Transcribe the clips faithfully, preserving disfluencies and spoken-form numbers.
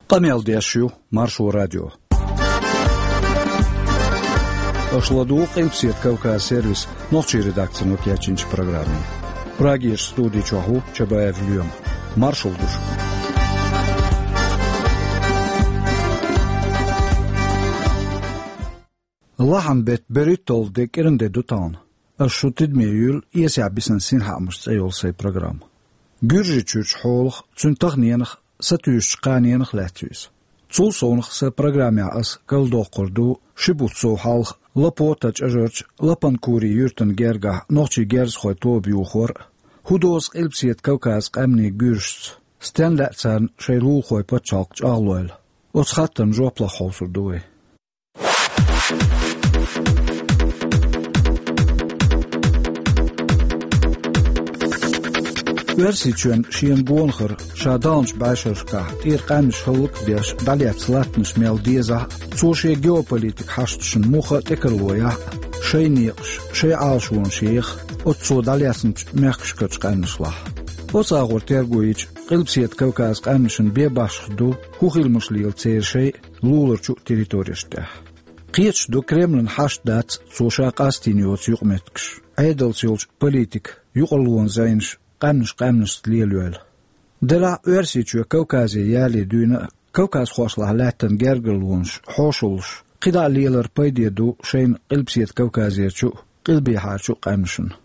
Къамел деш ю Маршо радио. Аша ладугӀу Къилбаседа Кавказ сервисан нохчийн редакцино кечйинчу программе. Прагерчу студи чохь ву Чабаев Лоьма. Маршалла ду шуьга. Лахьан беттан берхӀитталгӀа де кӀиранде ду тахана. Ас шу тидаме юьйлу «Эсехь бисина синхаамаш» цӀе йолу сайн программа. Гуьржийчуьрчу хьолах, цуьнан таханенах, сатуьйсучу кханенах лаьцна ю иза. Цул совнаха сан программехь ас карладоккхур ду ши бутт сов хьалха Лапота чӀажарчу Лапанкури юьртана гергахь нохчийн герзахойн тоба юхор а, хӀун дозу Къилбаседа Кавказан къаьмнийн гуьржашца, стенна лаьа царна шайн лулахойн пачхьалкх чӀагӀлойла. Оцу хаттарна жоп лаха хьовсур ду вай. Оьрсийчоьнна шена гонахара ша даханчу бӀешерашкахь тӀера къаьмнаш хӀаллак а деш дӀалецна латтанаш мел дезахь а, цо шен геополитикан хьашташна муха а тӀекарло яхь а, шайн некъаш, шайн Ӏалашонаш еха оццо дӀалецначу мехкашкарчу къаьмнашлахь. Оцу агӀор терго йича, Къилбаседа Кавказан къаьмнашна бен башха ду хӀун хиламаш лела церан шайн а, луларчу а территорешна тӀехь. Кхеташ ду, Кремлан хьашт дац цо ша къастийна йоцу юкъаметтигаш, Ӏедалца йолчу политикан юкъарлонан зӀенаш къаьмнаш къаьмнашца лелайойла. Делахь а Оьрсийчоь Кавказе яле дуьйна а, кавказхошлахь лаьттина гергарлонаш хьошаллаш кхидӀа а лелар пайде ду шайна Къилбаседа Кавказерчу а, къилбехьарчу а къаьмнашна.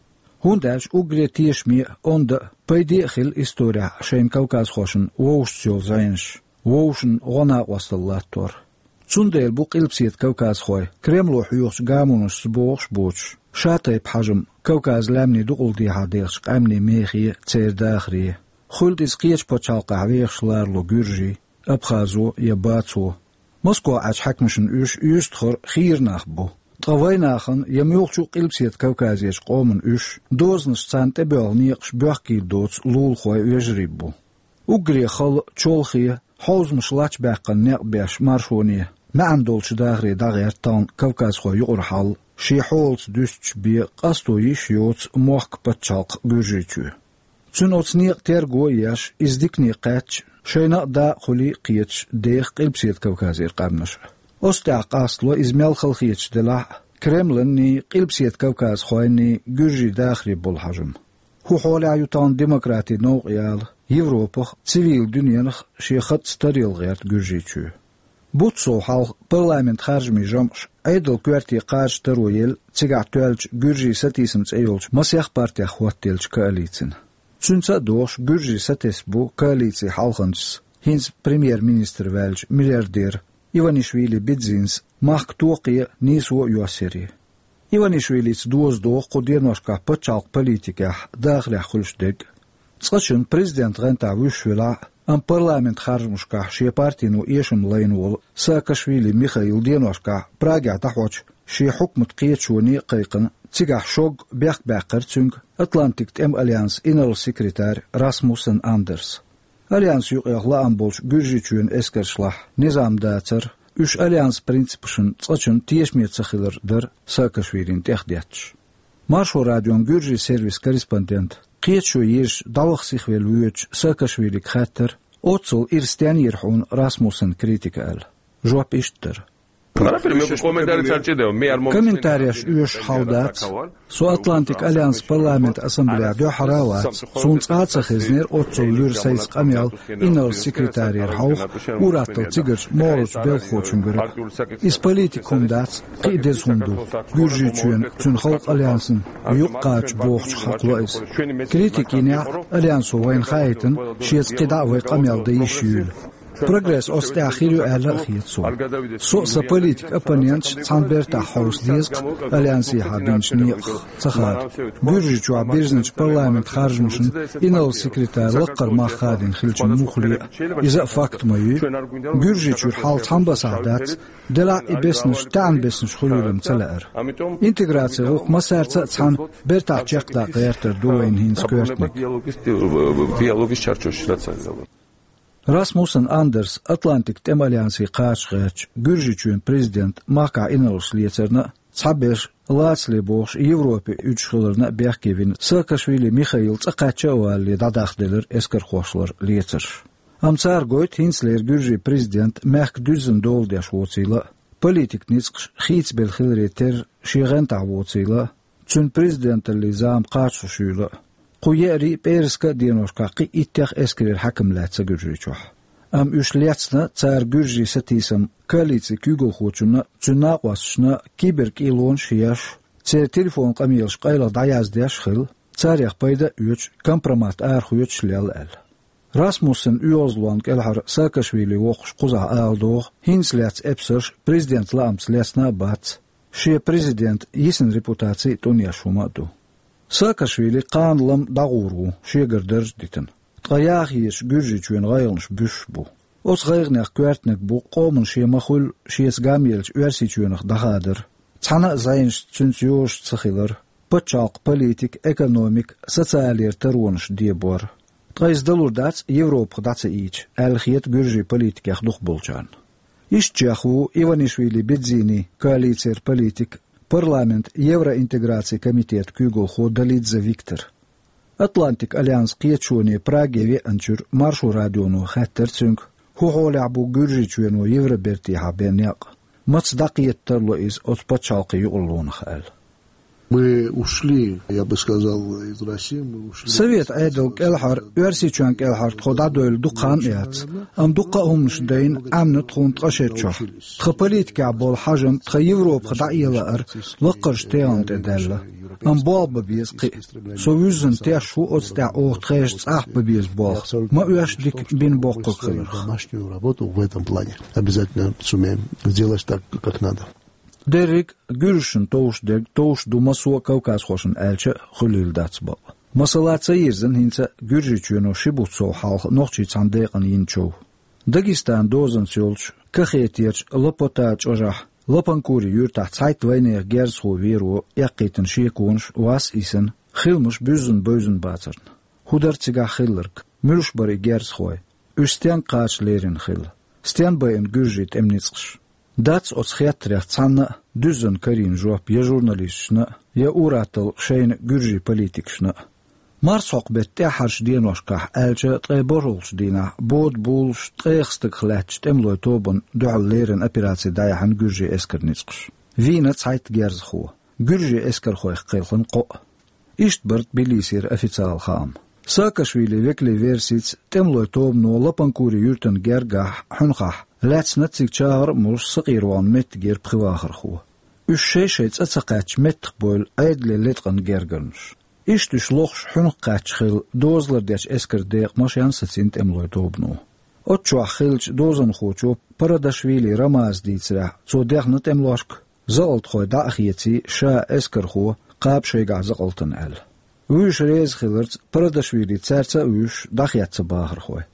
ХӀунда аьлча уггаре тешаме а, онда а, пайде а хилла исторехь шайна кавказхошна вовшашца йолу зӀенаш, вовшашна гӀо-накъосталла латтор. Цундела бу къилбаседа кавказхой Кремло хьоьхучу гамонашца богӀуш а боцуш, шатайпа хьажам Кавказан лаьмнийн дукъалдехьа дехачу къаьмнийн мехе, церан дахаре. Хуьлда иза кхечу пачхьалкхехь вехаш ларало гуьржийн, абхазо я бацо. Москох Ӏачу хьаькамашна уьш уьстагӀара хийра нах бу. Ткъа вайнахана я муьлххачу а къилбаседа Кавказерчу къомана уьш, дозанаш царна тӀебоьлху некъаш боьхкийла доцу лулахой, вежарий бу. Уггаре хала, чолхе, хьовзамаш лачбаьккхина некъ беш маршоне, маьӀна долчу дахаре дӀагӀерта тахана кавказхойн юкъара хьал, шен хьолаца дуьстича бен къасто йиш йоцу мохк, пачхьалкх Гуьржийчоь. Цуьнан оцу некъан терго а еш, иза дикане кхаьчча, шайна а дакъа хуьлий а кхеташ, деха Къилбаседа Кавказера къаьмнаш а. Оцу тӀехь къастало иза мел халахеташ делахь а, Кремланний, къилбаседа кавказхойнний гуьржийн дахаре болу хьажам. ХӀун хьолехь ю тахана демократин новкъа яла Европах а, цивилан дуьненах а шен хатаца таръяла гӀерта Гуьржийчоь? Бутт сов хьалха парламентан харжамийн жамӀаш Ӏедалан коьрте кхача таро елла цигахь тоьллачу «Гуьржийн сатийсам» цӀе йолчу масех партех хӀоттаеллачу коалицина. Цуьнца а догӀуш, гуьржий сатесна бу коалицин хьалханчас, хӀинца премьер-министр ваьллачу миллиардера Иванишвили Бидзинас махка токхе а, нийсо а йоссаре. Иванишвилица доза догӀу кху деношкахь пачхьалкхан политикехь, дахарехь хуьлуш дерг а. Цкъачунна президентан гӀантехь вуьсуш велахь а, амма парламентан харжамашкахь шен партино эшам лайна волу Саакашвили Михаил деношкахь Прагехь дӀахьочу шен хьукматан кхеташоне а кхайкхина, цигахь шога бехк баьккхира цуьнга Атлантикан тӀеман альянсан инарла-секретарь Расмуссен Андерс. Альянсан юкъех лаам болчу Гуьржийчоьнан эскаршлахь низам дацар, уьш альянсан принципашна цкъачунна тешаме ца хилар дара Саакашвилина тӀехдетташ. Маршо радион Гуьржийн сервисан корреспондента, кхеташо езаш дӀаваха сихвелла воьдучу Саакашвилига хаьттира, оццул ира стенна йира хьуна Расмуссен критика аьлла. Жоп иштта дара. Комментареш оьшуш хьал дац. Со Атлантикан альянсан парламентан ассамблеяхь дуьххьара а вац. Суна цкъа а ца хезнера оццул луьра сайца къамел инарла-секретарера хьовха, ур-атталла цигарчу могӀарерчу белхахочуьнгара. Иза политика хӀума дац, кхин а деза хӀума ду. Гуьржийчоьнан, цуьнан халкъан альянсана юкъа кхача бохучух хьакхало иза. Критика йинехь а, альянсо вайна хаийтина, шеца кхидӀа а вай къамел дан йиш юйла. Прогресс оцу тӀехь хир ю аьлла а хета суна. Со а, сан политикан оппоненташ а цхьана бертахь хьовса деза-кх альянсехьа бинчу некъах ца хада. Гуьржийчохь бирзинчу парламентан харжамашна инарла-секретарь лаккхара мах хадийна хилча муххале а, иза а факт ма юй. Гуьржийчуьра хьал цхьамма басахь дац, делахь а и беснаш таьӀна беснаш хуьлийла-м ца лаьара. Интеграцин гӀуллакх массаьрца а цхьаьна бертахь чекхдаккха гӀертар ду вайна хӀинца коьртаниг. Расмуссен Андерс Атлантикан тӀеман альянсе кхача гӀертачу Гуьржийчоьнан президентан махкахь инарлаш лецарна а, цхьаберш лацале бохуш Европе уьдуш хиларна а бехке вина Саакашвили Михаил цӀа кхаьчча а валале дӀадахделира эскархошлара лецарш. Амма цара гойту хӀинцалера Гуьржийн президент мехка дуьззина дола деш воцийла а, политикан ницкъаш хийцабелла хиларе терра шен гӀантахь воцийла а, цуьнан президенталлин зама кхачалуш юйла а. Кху еарий а, пӀераска а деношкахь кхин а иттех эскарера хьаькам лаьцна Гуьржийчохь. Амма уьш лецна цара гуьржийн сатийсам коалицин куьйгалхочунна а, цуьнан накъосташна а киберкӀийлонаш а еш, церан телефон къамелаш къайлаха дӀаяздеш а хилла, царех пайда а оьцуш, компромат арахоьцуш а лелла аьлла. Расмуссенан оьгӀазлонна кӀелхьара Саакашвили воккхуш кхузахь ала догӀу, хӀинца лаьцна эпсарш президентан лаамца лецна а бац, шен президентан йисина репутаци а тӀунъеш хӀума а ду. Саакашвили кхана-лама дӀагӀур ву, шегара дарж а дитина. Ткъа яха езаш Гуьржийчоьнан гӀайгӀанаш буьсуш бу. Оцу гӀайгӀанех коьртаниг бу къоман шен ма-хуьллу, шеца гамъелла Оьрсийчоьнах дӀахадар, цхьана а зӀенашца цуьнца йозуш ца хилар, пачхьалкхан политика, экономика, социалера таронаш дебор. Ткъа иза далур дац Европах дӀа ца ийча, аьлла хета гуьржийн политикех дукхахболчарна. Иштачех ву Иванишвили-Бедзини коалицера политик, парламентан евроинтеграцин комитетан куьйгалхо Долидзе Виктор. Атлантикан альянсан кхеташоне Праге веанчуьра Маршо радионо хаьттира цуьнга, хӀун хьолехь бу Гуьржийчоьно Евробертехьа бен некъ, маца дӀакхета тарло иза оцу пачхьалкхийн юкъарлонах аьлла. Мы ушли, я бы сказал, из России, мы ушли. Совет Ӏедал кӀелхьара, Оьрсийчоьнна кӀелхьара тхо дӀадевлла дукха хан а яц, амма дуккха а хӀуманаш дайна Ӏемина тхуна ткъа шерачохь. Тхан политикехь болу хьажам тхан Европах дӀаэла лаар лаккхарчу тегӀана тӀе даьлла. Амма болх бан беза кхин а. Со вуьззина тешаш ву оцу тӀехь оха тхешан цӀахь бан беза болх. Ма оьшшу дика бина боккхург хиларх. Домашнюю работу в этом плане обязательно сумеем сделать так, как надо. Дерриг а гуьржашна товш дерг товш ду массо а кавказхошна аьлча а хуьлийла дац бакъ. Масала, ца йирзина хӀинца Гуьржийчоьно ши бутт сов хьалха нохчийн цхьана декъана йина чов. Дагестанан дозанца йолчу Кахетерчу Лопота чӀожахь Лопанкури юьртахь цхьайтта вайнехан герзахо веро эккхийтина шеконаш вас а йисина, хиламаш буьззина-бевззина бацарна. ХӀун дара цигахь хилларг? Муьлш бара и герзахой? Уьш стенга кхача лерина хилла? Стенна байина гуьржийн тӀеман ницкъаш? Дац оцу хеттарех цхьанна а дуьззина карийна жоп я журналисташна а, я ур-атталла шайна гуьржийн политикашна а. Марсхьокху беттан тӀаьххьарчу деношкахь, аьлча ткъе бархӀолгӀачу дийнахь, бода булуш ткъех стагах лаьттачу тӀемалойн тобанна дуьхьал леррина операци дӀаяьхьна гуьржийн эскаран ницкъаш. Вийна цхьайтта герзахо. Гуьржийн эскархойх кхелхина кхоъ. Иштта бара Тбилисера официалан хаам. Саакашвилин векалийн версица, тӀемалойн тобано Лопанкури юьртана гергахь, хьуьнхахь, лаьцна цига чагӀар а молуш сакъервахна меттигера пхи вахархо. Уьш шай-шай цӀа ца кхаьчча меттахбевлла Ӏедале леткъана гергарнаш. Иштта уьш лохуш хьуьнах кхаьчча хилла дозалла дечу эскаран декъа машен а сацийна тӀемалойн тобано. Оццу чохь хиллачу дозанхочо Парадашвили Рамаза дийцарехь, цо дехна тӀемалошка, закъалтхой дӀа а хеций, ша, эскархо, кхаба шайгахь закъалтана аьлла. Вуьйш реза хиларца, Парадашвили цаьрца а вуьйш, дӀахецна бахархой.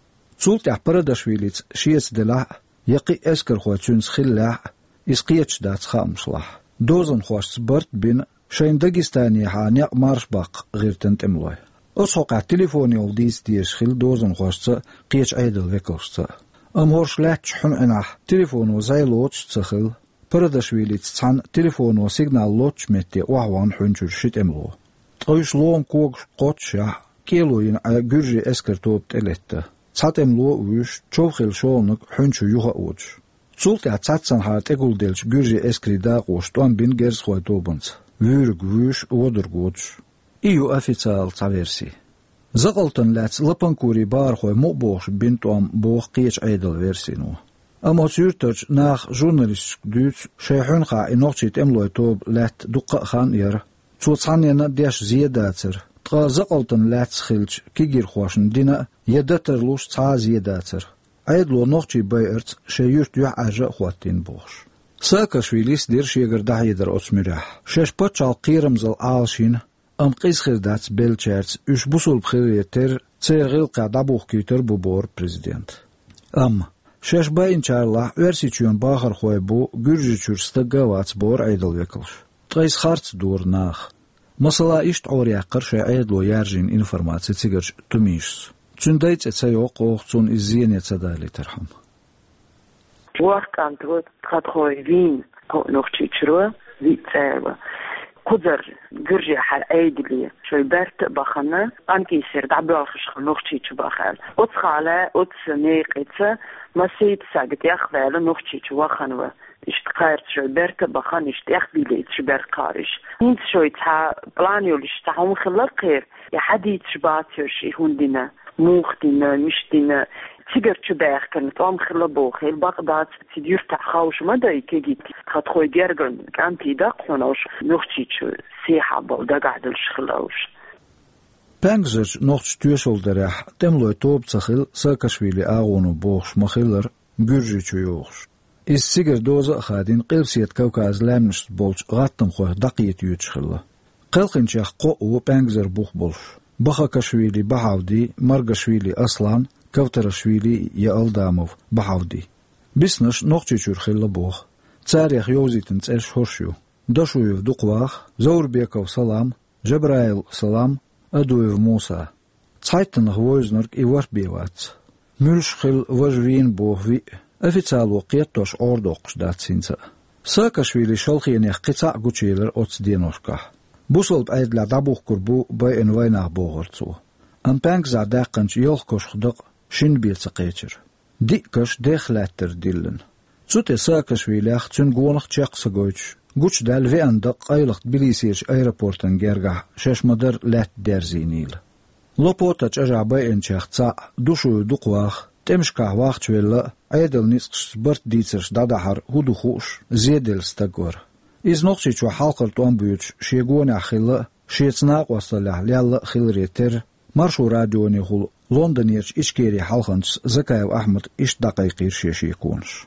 Цул тӀаьхьа Парадашвилица шеца делахь а, я кхин а эскархой цуьнца хиллехь а, иза кхеташ дац хаамашлахь. Дозанхошца барт а бина, шайна Дагестанехьа некъ марша баккха гӀиртина тӀемалой. Оцу хьокъехь телефонехула дийца дезаш хилла дозанхошца кхечу Ӏедалан векалшца а. Амма хӀорш лаьттачу хьуьнан Ӏинахь телефоно зӀе лоцуш а ца хилла, Парадашвилица цхьаьна телефоно сигнал лоцучу метте охьавахна хьуьнчуьра ши тӀемало. Ткъа уьш лома когашка кхоччушехь, кӀело йина Ӏа гуьржийн эскаран тоба тӀелетта. Цхьа тӀемало а вуьйш, чов хилла шолгӀаниг хьуьнчу юха а водуш. Цул тӀаьхьа цхьаццанхьара тӀегулделлачу гуьржийн эскарийн дакъоша тӀом бина герзахойн тобанца, вуьйриг вуьйш, водарг водуш. И ю официалан цхьа верси. Закъалтана лаьцна Лопанкурин бахархой мукъа бохуш бина тӀом боху кхечу Ӏедалан версино. Амма оцу юьртарчу наха журналисташка дуьйцу, шайн хьуьнхахь и нохчийн тӀемалойн тоба лаьтта дуккха а хан яра. Цо цхьанненна а деш зе дацара, ткъа закъалтана лаьцна хиллачу кегийрхошна дина а, я дан тарлуш цхьа а зе дацара. Ӏедало нохчий байарца шайн юьрт юьхьӀаьржа а хӀоттийна бохуш. Саакашвилис дира шегара дӀахьедар оцу муьрехь. Шаьш пачхьалкх кхерамзалла Ӏалашйина, амма къиза хир дац беллачаьрца уьш бусулба хиларе терра, церан гӀиллакхехь дӀабухкуьйтур бу бохура президента. Амма шаьш байинчарлахь Оьрсийчоьнан бахархой бу, Гуьржийчуьра стаг а вац бохура Ӏедалан векалша. Ткъа иза харц дора наха. Масала, иштта Ӏораяьккхира шайн Ӏедало яржийна информаци цигарчу тумийшас. Цуьнан дай цӀе ца йоккху оха цунна иза зене ца далийтархьама. Вахкан тхо тхо вийна кхо Нохчийчуьра, виъ цӀерла. Кхузара гуьржехьара Ӏедале шоай бертта а бахана, къаьнкъийсар дӀабоьлхуш хилла Нохчийчу баха аьлла. Оцу хала, оцу некъаца масийтта сага тӀехваьлла Нохчийчу вахана ва. Иштта кхаьрца шоай бертта а бахана, иштта тӀехбийлийташ бертта кхариш. ХӀинца шоай цхьа план йолуш цхьа хӀума хилла кхера, и хьадийцаш бацарш и хӀума дина, муха дина, миш дина. Цигара чу баьхкина тӀом хилла бохийла, бакъ дац, цига юьртахь ховш ма дай кегийта. Тхан тхой герган кӀантий даккха хьуна уьш Нохчийчу сехьа болу дагахь долуш хилла уьш. Паьнгазарчу нохчийн тоьшалла дарехь тӀемалойн тоба ца хилла Саакашвили агӀоно бохуш ма-хиллара, Гуьржийчу йогӀуш. Иза цигара доза а хадийна, Къилбаседа Кавказан лаьмнашца болчу гӀаттамхойх дӀакхета йоьдуш хилла. Кхелхинчех кхоъ ву паьнгазар бух болуш: Бахакашвили Бахьавди, Маргашвили Аслан, Кавтарашвили я Алдамов Бахьавди. Биснарш Нохчийчуьра хилла боху. Царех йовзийтина цӀераш хӀорш ю: Дашуев Дукхаваха, Заурбеков Салам, Жабраил Салам, Адуев Муса. Цхьайттанах вевзинарг и ворхӀ бен вац. Муьлш хилла важа вийна боху виъ, официало кхетош Ӏорадоккхуш дац хӀинца а. Саакашвили шалхенех кхин цхьаъ гучуелира оцу деношкахь. Бусалба Ӏедалехь дӀабухкур бу байина вайнах, бохура цо. Амма паьнгазахь даьккхинчу ялх кошах дакъа шина бен ца кхечира. Диъ каш дехха лаьттара диллина. Цу тӀе Саакашвилех, цуьнан гонах чекх ца гойтуш, гучудаьлла веана дакъа къайлаха Тбилисерчу аэропортан гергахь шаьш ма-дарра лаьтта дерзийнийла. Лопота чӀажахь байинчех цхьаъ, Дашуев Дукхаваха, тӀемашкахь вахчавелла а, Ӏедалан ницкъашца барт дийцарш дӀадахьар хӀун ду хууш, зеделла стаг вара. Иза Нохчийчохь хьалхара тӀом боьдуш шен гонехь хилла а, шеца накъосталлехь лелла а хиларе терра, Маршо радионехула Лондонерчу Ичкерин хьалханчас Закаев Ахьмада иштта дӀакхайкхийра шен шеконаш.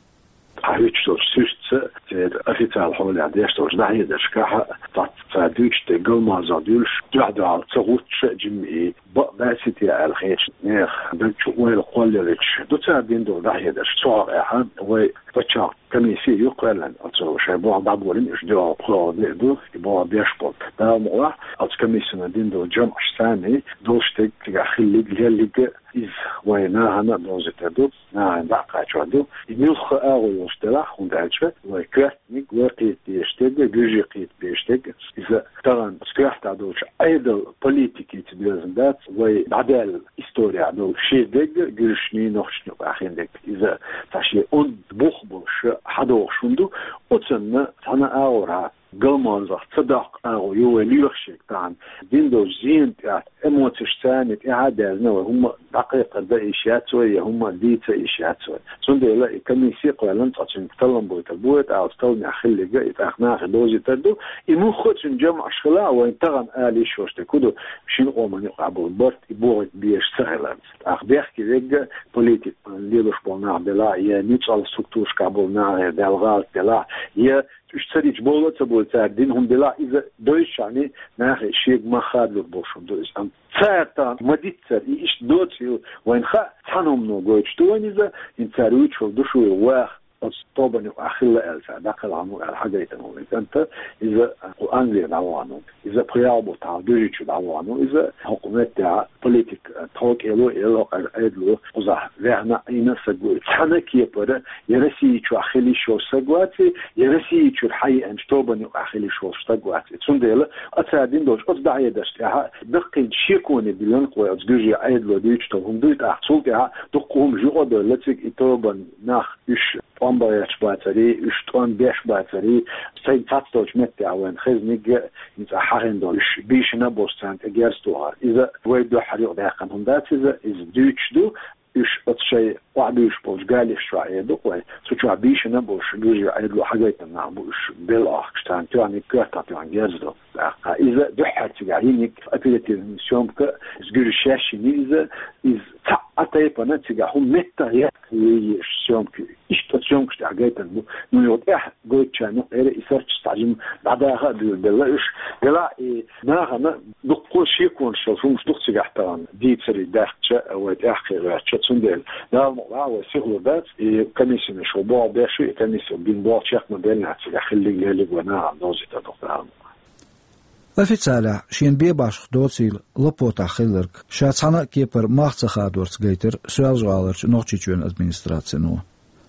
Хьуьттуш долчу суьртца, церан официал хьолехь деш долчу дӀахьедаршкахь, цхьацца цара дуьйцуш дерг галмазах дуьллуш, дуьхь-дуьхьал ца гӀуттуш а, жимма и бакъ дац те аьлла хеташ, нехан даг чу ойла кхоллаеллачу ду цара дина долу дӀахьедарш. Цу хьокъехь вай пачхьалкхан комисси ю кхоьллина, оцо шайн болх дӀаболийна, уьш дуьхьал пхоьалгӀа де а ду, и болх беш болу. Дала мукъалахь, оцу комиссино дина долу жамӀаш санна долуш дерг цигахь хилларг, лелларг а, иза вайн нахана а довзуьйтур ду, нахана дӀа а кхачор ду. И муьлхха а агӀо йолуш делахь, хӀунда аьлча вай коьртаниг, вай кхета дезаш дерг, гуьржий кхета безаш дерг, иза тахана оцу коьртехь долчу Ӏедалан политикица доьзна дац, вай дӀадаьлла исторехь долу ши дерг, гуьржашний, нохчашний юкъахь хин дерг. Иза цхьа шен онда бух болуш хьадогӀуш хӀума ду, оцунна цхьана а агӀорахь галмазах ца доккху агӀо ю вай лоьхуш ерг тахана. Дина долчу зенан тӀехь эмоцеш санна тӀаьхьа а даьзна, вай хӀумма дӀакхайкхар дан йиш яц вай, я хӀумма дийца йиш яц вай. Цундела и комисси а кхоьллина, цкъа цуьнга таллам бойтур бу вай, тӀаккха оцу талламехь хилларг а и тӀаккха нахе довзуьйтур ду. И муьлхха а цуьнан жамӀаш хилахь, вайн тахана ала йиш йолуш дерг хӀун ду, шина къоман юкъахь болу барт и бохуьйтур безаш ца хиларца. ТӀаккха бехке верг а, политикан лелош болу нах белахь, я ницкъаллин структурашкахь болу нах, я Далла гӀалат делахь, я уьш ца дича бовла а ца бовла, цара дина хӀума делахь, иза дойччохь нахе шега мах хадалур болуш хӀума ду иза. Амма цара тахана ма-диццара, и иштта доцийла вайна хаьа, цхьана хӀумано гойтуш ду вайна иза, хӀинца цара вуьйцуш волу Дашуев ваха оцу тобанна юкъахь хилла аьлла цара дӀакхелхина ву аьлла хьагайтина волу и кӀант, иза кху Англера дӀавахана ву. Иза пхи-ялх бутт хьалха Гуьржийчу дӀавахана ву. Иза хӀокху меттехь политик тховкӀело а елла, хӀокху Ӏедало кхузахь ваьхна а, Ӏийна а стаг ву. Цхьана а кепара я Россия чохь хила йиш йолуш стаг вац и, я Россия чуьра хьаеанчу тобанна юкъахь хила йиш йолуш стаг вац и. Цундела а цара дина долчу оцу дӀахьедарш тӀехь даккхийчу шеконе диллина-кх вай оцу гуьржийн Ӏедало дуьйцуш долу хӀума дуй тӀаккха. Цул тӀаьхьа дуккха хӀумаш юкъа а довлла цига, и тобанан нах, уьш тӀом бан гӀерташ бацарий, уьш тӀом беш бацарий, сайна цхьацца долчу меттехь вайна хезниг а, хӀинца хьахийна долу, уьш бийшина а болуш царна тӀе герз тухар. Иза вай дуьххьара юкъадаьккхина хӀума дац иза, иза дуьйцуш ду, уьш оцу шайн охьабуьйшуш болчу галеш чохь эр ду-кх вай, цу чохь бийшина а болуш, гуьржийн Ӏедало хьагайтина нах бу уьш, белла ахкаш, царна тоьхниг коьртах тоьхна герз ду. ТӀаккха иза дуьххьара цигахь йиниг оперативная съёмка, иза гуьржаша шаьш йина иза, иза цхьа а тайпана цигахь хӀума меттах еттахъян еш съёмка. Иштта оцу съёмкаш тӀехь гайтина бу. Ну, юха тӀехь гойтучарна юкъера и сурташ цхьа жимма дӀадаха а дуьйлабелла уьш. Делахь и нахана дуккха шеконаш йолу хӀумаш ду-кх цигахь тахана дийцаре даьккхича, вай тӀаьхьа кхин гӀертача. Цундела Дала мукъалахь, вай сихалур дац, и комиссина шо болх беш ю, и комиссино дина болх чекх ма-беллинехь, цигахь хилларг-лелларг вай нахана довзуьйтур ду-кх Дала мукъалахь. Официалехь шена бен башха доцийла Лопотахь хилларг, ша цхьана а кепара мах ца хадорца гайтира Соьлжа-ГӀаларчу Нохчийчоьнан администрацино.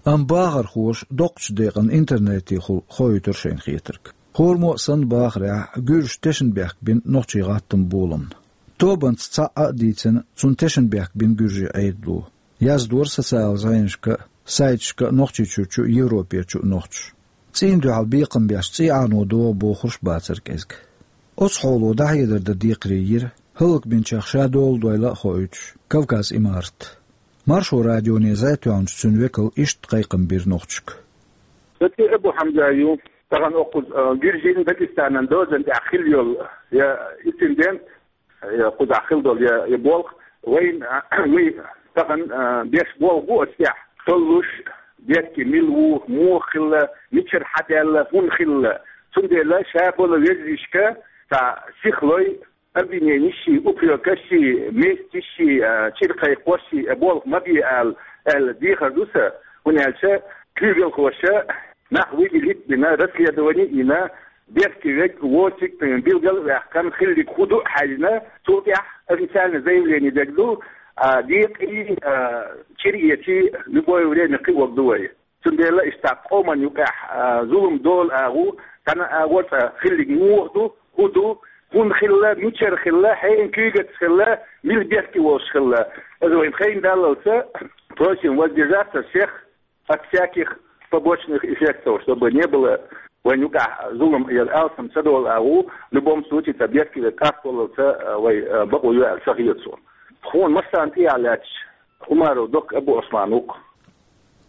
Амма бахархоша доккхачу декъана интернетехула хоуьйтура шайна хетарг. Кхорумо а санна бахарехь, гуьржаша тешнабехк бина нохчийн гӀаттаман боламна. Тобанца цхьаъ а дийцина, цунна тешнабехк бина гуьржийн Ӏедало. Яздора социалан зӀенашка а, сайташка а Нохчийчуьрчу а, Европерчу а нохчаша. ЦӀийнан дуьхьал бекхам беш цӀий Ӏано догӀу бохурш а бацара кӀезиг. Оцу хьоло дӀахьедар дан декхаре йира, хӀаллакбинчех ша дола дойла а хоуьйтуш, Кавказ-Имарат. Маршо радионе зӀе тоьхначу цуьнан векало иштта кхайкхам бира нохчашка. Сан цӀе Абу Хьамза ю, тахана оккхуза, а, Гуьржийн, Дагестанан дозан тӀехь хилла йолу я инцидент, я кхузахь хилла долу я, я болх, вайн, а, вай тахана, а, беш болх бу оцу тӀехь, толлуш, дерг мила ву, муха хилла, мичара хьадаьлла, хӀунда хилла. Цундела ша болу везачка цхьа сихлой, обвиненийш, упрекаш, местьш, а, чӀир кхайкхош, а, болх ма бе ала, аьлла дехар ду сан, хӀунда аьлча куьйгалхоша нах выделить а бина, расследование а йина, беркате верг воцург билгал а ваьккхина, хилларг хӀун ду а хьаьжна, цул тӀаьхьа официальное заявление дерг ду, а, декъий, а, чӀир эций любое время кхиорг ду вай. Цундела иштта къоман юкъахь, а, зулам долу агӀо, цхьана агӀо цкъа хилларг муха ду, хӀун ду, хӀунда хилла, мичара хилла, хьенан куьйгаца хилла, мила беркате волуш хилла. Аса вайн хайн даллалца, просим воздержаться всех от всяких побочных эффектов, чтобы не было вайн юкъахь зулам я алсам ца долу агӀо, в любом случае, цхьа беркате къасталлалца, а, вай, а, бакъо ю аьлла ца хета суна. Тхуна массарна тӀехьа лаьтташ Умаров Докка Абу-Ӏусман ву-кх.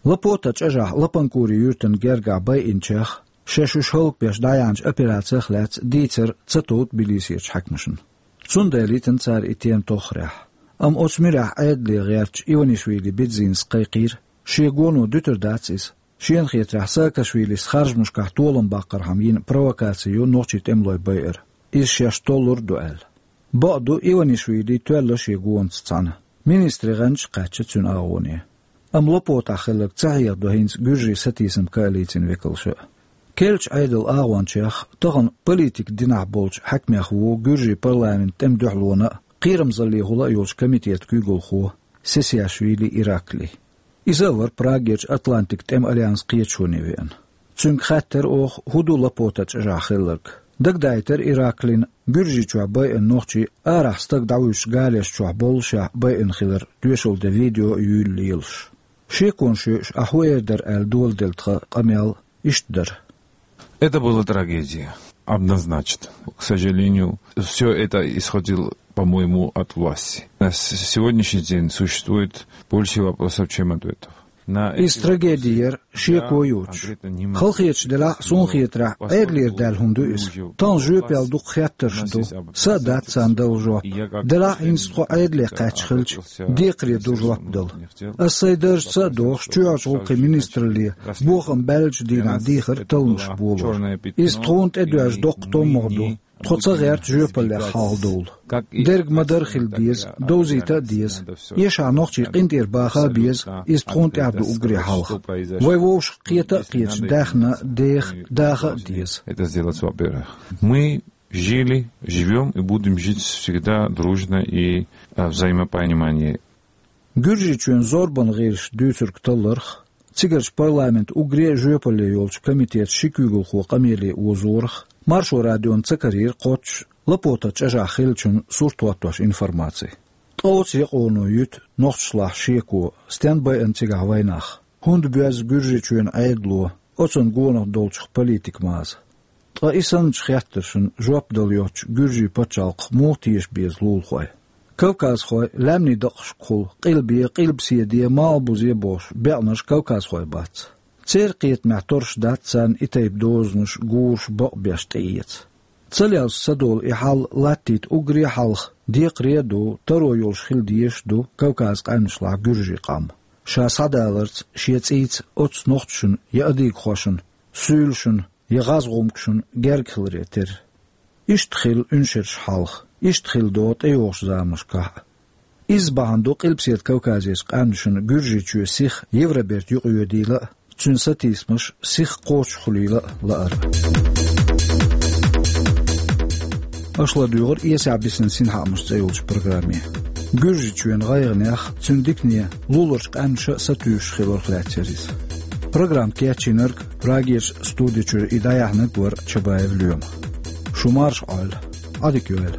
Лапота чӀожахь Лапанкури юьртана гергахь байинчех, шаьш уьш хӀаллакбеш дӀаяьхьначу операцех лаьцна дийцар ца тов Тбилисерчу хьаькамашна. Цундела йитина цара и тема тоххарехь. Амма оцу муьрехь Ӏедале гӀертачу Иванишвили Бедзинас кхайкхийра, шен гоно дуьтур дац иза, шена хетарехь, Саакашвилис харжамашкахь толам баккхархьама йина провокаци ю нохчийн тӀемалой байар, иза шаьш толлур а ду аьлла. Бакъду, Иванишвили тоьлла шен гонаца цхьаьна, министрийн гӀанташ а кхаьчна цуьнан агӀоне. Амма Лапотахь хилларг ца хьехадо хӀинца гуьржийн сатийсам коалицин векалша а. Керлачу Ӏедалан агӀончех, тахана политикан динахь болчу хьаькамех ву гуьржийн парламентан тӀеман дуьхьалонан а, кхерамзаллехула а йолчу комитетан куьйгалхо Сесиашвили Ираклий. Иза а вара Прагерчу Атлантикан тӀеман альянсан кхеташоне веана. Цуьнга хаьттира оха, хӀун ду Лапота чӀожахь хилларг. Дагадайтира Ираклина, Гуьржийчохь байина нохчий арахь стаг дӀавуьйшучу галеш чохь боллушехь байина хилар тоьшалла ден видео а юьйла лелаш. Шеконаш йоьуш, ахь хӀун эр дара аьлла доладелла тхан къамел иштта дара. Это была трагедия, однозначно. К сожалению, всё это исходило, по-моему, от власти. На с-, сегодняшний день существует больше вопросов, чем ответов. Иза трагеди яра, шеко йоцуш. Халахеташ делахь а, суна хетарехь, Ӏедалера даьлла хӀума ду иза. Тахана жоьпалле дукха хеттарш ду. Са а дац царна дала жоп. Делахь а, хӀинца тхо Ӏедале кхаьчна хилча, декхаре ду жоп дала. Ас сайн даржаца а дохуш, чоьхьарчу гӀуллакхийн министралле бохам баьллачу дийнахь дийхира талламаш болор. Иза тхуна тӀедоьжна доккха томмагӀа ду. Тхо ца гӀерта жоьпаллех хьалхадовла. Дерг ма-дарра хила деза, довзийта а деза. Эшахь нохчий къинтӀера баха а беза, иза тхуна тӀехь ду уггаре хьалха. Вай вовшах кхета а кхеташ, даьхна, деха, даха а деза. Это сделать, во-первых. Мы жили, живём и будем жить всегда дружно и, э, взаимопонимании. Гуьржийчоьнан зорбанан гӀирсаша дуьйцург талларх, цигарчу парламентан уггаре а жоьпалле йолчу комитетан ши куьйгалхо къамеле озорах, Маршо радиона ца карийра кхоччуш Лапота чӀожахь хиллачун сурт хӀоттош информаци. Ткъа оцу якъоно юьту нохчашлахь шеко, стенна байина цигахь вайнах, хӀунда боьзна Гуьржийчоьнан Ӏедало оцунна гонах долчух политикан маза. Ткъа и санначу хеттаршна жоп дала йоцчу гуьржийн пачхьалкхах муха теша беза лулахой? Кавказхой лаьмнийн дакъашкахула къилбе, къилбаседе, малхбузе бохуш беанарш кавказхой бац. Церан кхетамехь торш дац царна и тайпа дозанаш, гураш бакъбеш тӀеэца. Ца лелаш ца долу и хьал латтийта уггаре а хьалха декхаре а ду, таро йолуш хила дезаш а ду Кавказан къаьмнашлахь гуьржийн къам. Ша схьадаларца, шен цӀийца оццу нохчашна я адыгахошна, суьйлашна, я гӀазгӀумкашна герга хиларе терра. Иштта хилла уьншерш хьалха, иштта хилла догӀу тӀейогӀучу заманашкахь а. Изза бахьана ду Къилбаседа Кавказерчу къаьмнашна Гуьржийчоь сиха Евроберта юкъайоьдийла а, цуьнан сатийсамаш сиха кхочушхуьлийла а лаар. Аша ладуьйгӀира «Эсехь бисина синхаамаш» цӀе йолчу программе. Гуьржийчоьнан гӀайгӀанех, цуьнан дикане луларчу къаьмнаша а сатуьйсуш хиларх лаьцна яра иза. Программа кечйинарг, Прагерча студи чуьра и дӀаяьхьнарг вара Чабаев Лоьма. Шу марша Ӏойла, Ӏадика йойла.